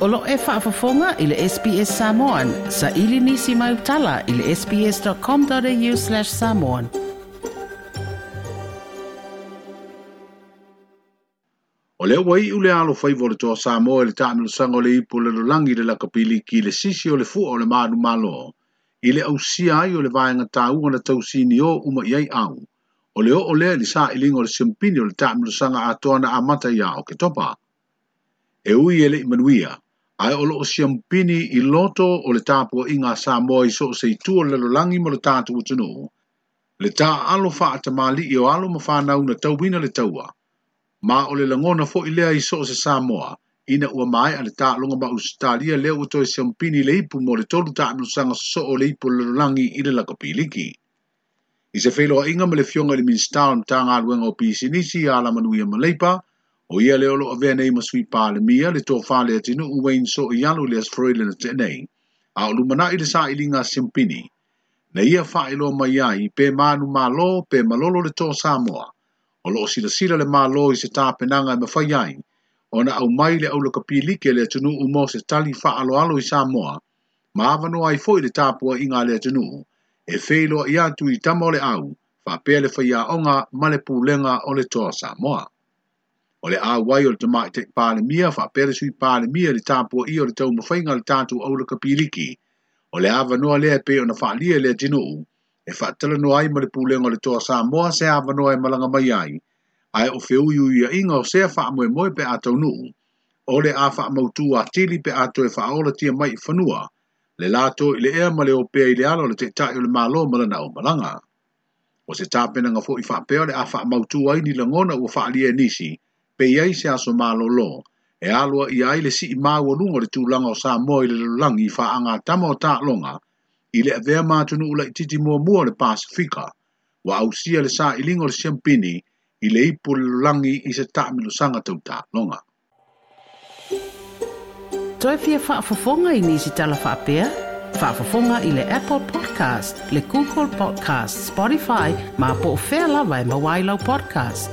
O lo o e faafofoga i le SBS Samoan. Saili nisi mau tala i le sbs.com.au/samoan. O lea ua iu le alofaiva o le Toa Samoa i le taamilosaga o le Ipu o le Lalolagi i le Lakapiliki i le sisi o le fua o le manumalo i le ausia ai o le vaega taua na tausinio uma i ai au. O le oo lea i le sailiga o le siampini o le taamilosaga atoa na amata ia Oketopa. E ui e le i manuia, ae o loo siampini i loto o le tapuaiga a Samoa i so o se itu o le lalolagi ma lo tatou atunuu, le taaalo faatamalii o alo ma fanau na tauina le taua, ma o le lagona foi lea i so o se Samoa, ina ua maea le taaloga ma Ausetalia lea ua toe siampini le ipu mo le tolu taamilosaga sosoo o le Ipu o le Lalolagi i le Lakapiliki. I se feiloaiga ma le Afioga i le Minisita o le Matagaluega o Pisinisi, Alamanuia ma Leipa, o ia lea o lo o avea nei ma Sui Palemia, le Tofa Leatinuu Wayne Sooialo i le Aso Faraile na tea nei, a o lumanai le sailiga a Siampini, na ia faailoa mai ai pe manumalo pe malolo le Toa Samoa. O lo o silasila le Malo i se tapenaga e mafai ai ona aumai le aulakapiliki a le atunuu mo se tali faaaloalo i Samoa, ma avanoa ai foi le tapuaiga a le atunuu e feiloai atu i tama o le au, faapea le faiaoga ma le pulega o le Toa Samoa. O le auai o le Tamaitai Palemia faapea le Sui Palemia i le tapuaia o le taumafaiga a le tatou aulakapiliki, o le avanoa lea e pei ona faaalia e le atunuu e faatalanoa ai ma le pulega o le Toa Samoa se avanoa e malaga mai ai, ae o feuiuiaiga o sea faamoemoe pe a taunuu, o le a faamautu atili pe a toe faaolatia mai i fanua, le lato i le ea ma le opea i le ala o le Taitai o le Malo ma lana aumalaga. O se tapenaga foi faapea o le a faamautu ai ni lagona ua faaalia e nisi, pe i ai se aso malolo, e aloaia ai le sii maualuga o le tulaga o Samoa i le lalolagi i faagatama o taaloga, i le avea ma atunuu laitiiti muamua o le Pasefika, ua ausia le sailiga o le siampini i le Ipu o le Lalolagi i se taamilosaga tau taaloga. Toe fia faafofoga i nisi tala faapea? Faafofoga i le Apple Podcast, le Google Podcast, Spotify, ma po o fea lava e maua ai lau podcast.